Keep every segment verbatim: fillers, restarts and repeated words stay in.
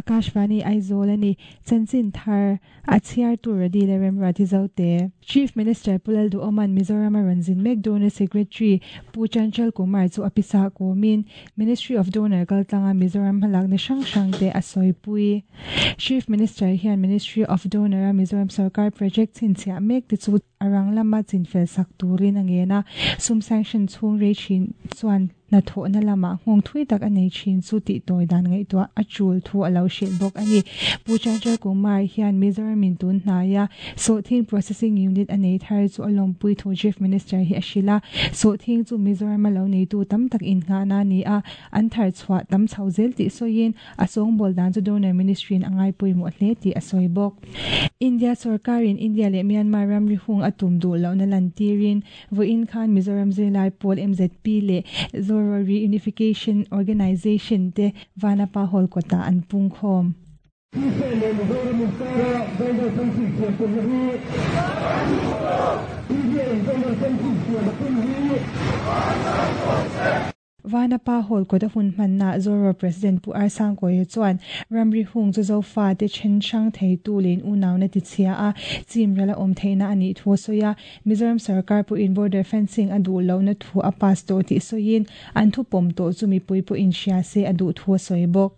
Akashvani Aizawl ani chanchin thar a chhiar tur radi le Remruati Zote. Chief Minister Pu Lalduhoma'n Mizoram a rawn zin mek Donor Secretary Pu Chanchal Kumar chu a pisa kawmin Ministry of Donor kaltlanga Mizoram hmalakna hrang hrang te a sawipui. Chief Minister hian Ministry of Donor a Mizoram sarkar project chhinchhiah mek te chu a rang lama chinfel sak turin a ngen a, sum sanction chhung rei thin chuan hnathawhna lamah nghawng thui tak a nei thin chu tih tawi dan ngaihtuah a tul thu a lo hrilh bawk a ni. Pu Chanchal Kumar hian Mizoram in tun hnaia sawhthing processing unit a nei thar chu a lawmpui thu Chief Minister hi a hrilh a, sawhthing chu Mizoram a lo neitu tam tak innghahna a ni a, an thar chhuah tam chho zel tih sawiin a sawngbawl dan chu Donor Ministry in a ngaipawimawh hle tih a sawi bawk. India sorkarin India leh Myanmar ramri hung a tum duh lohna lantirin vawiin khan Mizoram zirlai pawl M Z P leh Zoro Reunification Organisation te Vanapa Hall kawtah an pungkhawm. Vanapa Hall kawta hun hmannaah Zoro President Pu R Sangkawia chuan ramri hung chu Zofa te then hrang theitu leh in unauna ti chhia a, chim ral a awm theihna a nih thu a sawi a. Mizoram sarkar pawhin border fencing a duh lohna thu a pass tawh tih sawiin an thu pawm tawh chu mipui pawhin hria se a duh thu a sawi bawk.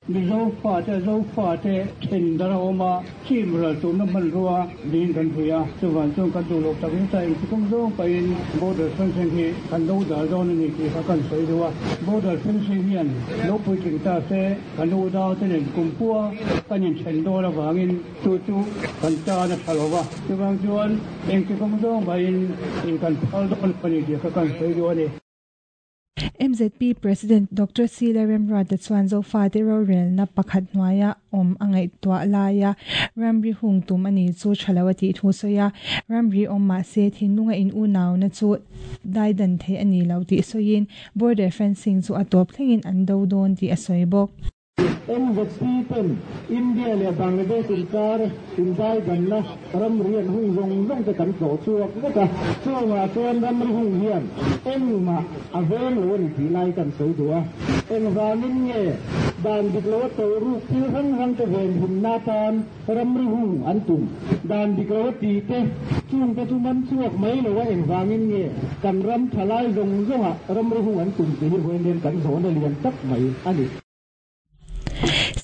Mizo fate, Zofate then dar a awm a, chim ral tumna hmanrua niin kan hria a, chuvang chuan kan duh loh tak zet a, engtikawng zawng pahin border fencing hi kan lo dal dawn a ni tih kha kan sawi deuh a. Border fencing hian lo puitling ta se kan unau te nen kumkhua kan inthen dawn avangin chu chu kan tan a tha lo va, chuvang chuan engtikawng zawng pahin in kan phal dawn a ni tih kha kan sawi deuh a ni. M Z P President Doctor C Lalremruata chuan Zofate rorelna pakhat hnuaia awm a ngaihtuah laia ramri hung tum a ni chu tha lo a tih thu a sawi a. Ramri awm mah se thinlunga in unauna chu daidan theih a ni lo tih sawiin border fencing chu a tawp thlengin an do dawn tih a sawi bawk. M Z P ten India leh Bangladesh inkar indaidanna ramri an hung zawng zawng te kan tlawh chhuak vek a, chungah chuan ramri hung hian engmah a veng lo a ni tih lai kan sawi duh a. Engvangin nge dan dik lo a tawh ruk thil hrang hrang te venhimna atan ramri hung an tum? Dan dik lo a ti te chungte chu man chhuak mai lo a, engvangin nge kan ram thalai zawng zawngah ramri hung an tum tih hi vawiin hian kan zawhna lian tak mai a ni.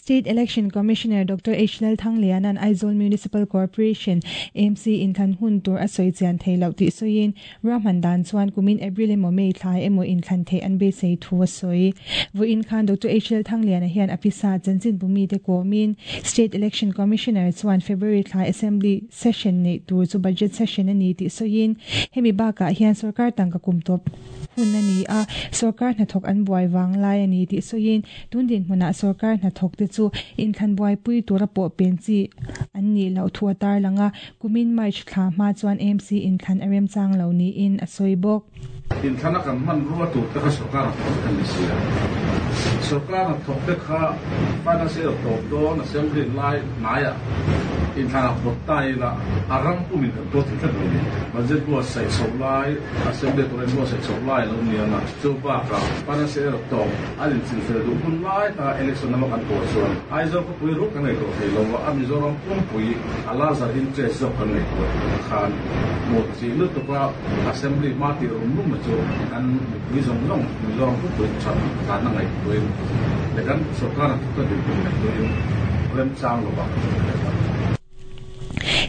State Election Commissioner Doctor H Lalthangliana'n Aizawl Municipal Corporation, A M C, inthlan hun tur a sawi chian thei loh tih sawiin ruahman dan chuan kumin April emaw May thla emaw inthlan theih an beisei thu a sawi. Vawiin khan Doctor H Lalthangliana hian a pisa chanchinbu mite kawmin State Election Commissioner chuan February thla Assembly session neih tur chu budget session a ni tih sawiin hemi bakah hian sorkar tangka kum tawp hun a ni a, sorkar hnathawk an buai vang lai a ni tih sawiin tun dinhmunah sorkar hnathawk te chu inthlan buaipui tura pawh pen chi an nih loh thu a tarlang a, kumin March thla hma chuan A M C inthlan a remchang lo niin a sawi bawk. Inthlana kan hmanrua tur te kha sorkar hnathawk vek an ni si a, sorkar hnathawk te kha financial tawp dawn assembly lai hnaiah inthlanah pawt ta ila a ram pumin kan tuar thei tlat lo ni. Budget buatsaih chhoh lai, assembly tur in buatsaih chhoh lai lo ni ang a, chu bakah financial tawp an inchinfel duh hun lai taka election lama kan pawh chuan Aizawl khawpui ruk kan ngaihtuah thei lo a, a Mizoram pumpui a larger interest zawk kan ngaihtuah khan hmuh chi lutuk a assembly hma tih rum rum chu kan mipui zawng zawng Mizoram pumpui that tlanna ngaihtuahin leh kan sorkar hnathawkte dinhmun ngaihtuahin remchang lo vang.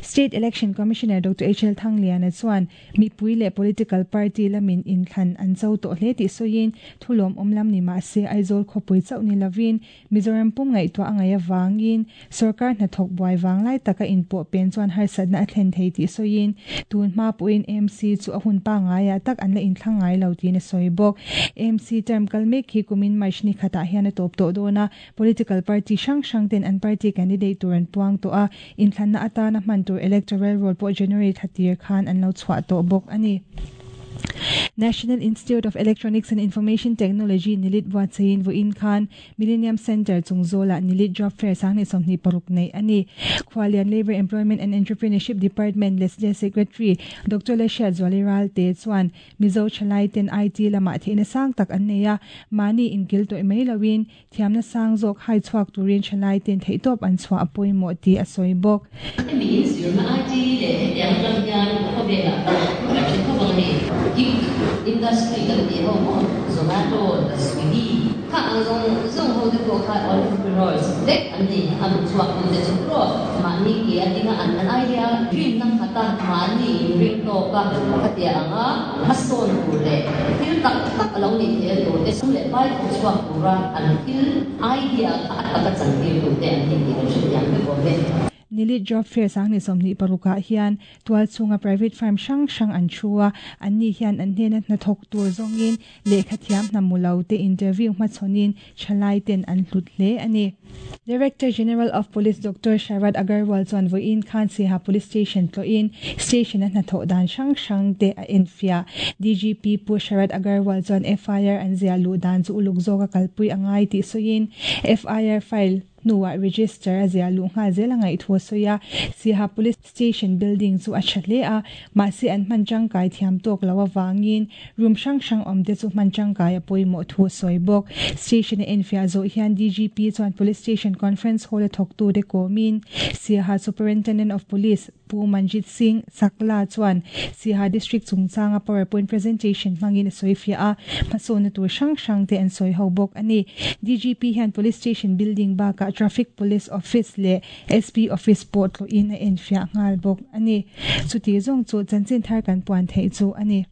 State Election Commissioner Doctor H L Thangliana chuan mipui leh political party lamin inthlan an cho tawh hle tih sawiin thulawm awm lam ni mah se Aizawl khawpui chauh ni lovin Mizoram pum ngaihtuah a ngaih avangin sorkar hnathawk buai vang lai taka inpawh pen chuan harsatna a thlen thei tih sawiin tun hma pawhin A M C chu a hun pangaiah tak an la inthlang ngai lo tiin a sawi bawk. A M C term kal mek hi kumin March ni khatah hian a tawp tawh dawn a, political party hrang hrang ten an party candidate tur an puang tawh a, inthlanna atana hman tur electoral roll pawh January thla tir khan an lo chhuah tawh bawk a ni. National Institute of Electronics and Information Technology nilit buatsain voin khan Millennium Center chungzola nilit job fair sangni somni paruk nei ani Khwalian Labor Employment and Entrepreneurship Department Leslie Secretary Doctor Lesha Zwaliral te chuan Mizo Chalai ten I T lama theina sang tak an neia mani inkil to mai lawin thiamna sang zok hai chuak turin Chalai ten theitop an chwa apoi mo ti asoi bok mi zirna I T le yang lam yan ko bela ko bang ni industry kan ti ho mo Zomato Swiggy kha ang zong zong ho de ko kha entrepreneurs dek an ni am chuak kun de chu ma ni ki adinga an an idea dream nang khata ma ni ring to ka khatia anga mason tur le thil tak tak lo ni the to te sum le pai ko chuak tura an thil idea kha ataka chan tir tu te an ni ti kan yang be ko ve Nilit job fair sang ni somni paruka hian tual chunga private firm sang sang an chua an ni hian an hena na thok tur zongin lekhathiam namulo te interview ma chonin chalai ten an hlut hle ani Director General of Police Doctor Sharad Agarwal chuan voin khan Siaha Police Station tloin station na tho dan sang sang te a enfia D G P Pu Sharad Agarwal chuan F I R an zia lu dan chu uluk zoka kalpui angai ti soin F I R file nuwa register azia lu nga zela ngai thu soya Siaha Police Station building chu a thatle a ma se an man changkai thiam tok lawa wangin room sang sang om te chu man changkai a poimo thu soi bok station enfia zo hian D G P chuan Police Station Conference Hall thok tu de komin Siaha Superintendent of Police Pu Manjit Singh Sakla chuan Siaha District chungchanga PowerPoint presentation mangin soifia a pasona tu sang sang te an soi ho bok ani D G P hian Police Station building ba ka Traffic Police Office le S P Office port lo in a enfia ngal bok ani chuti zong chu chanchin thar kan puan thei chu ani.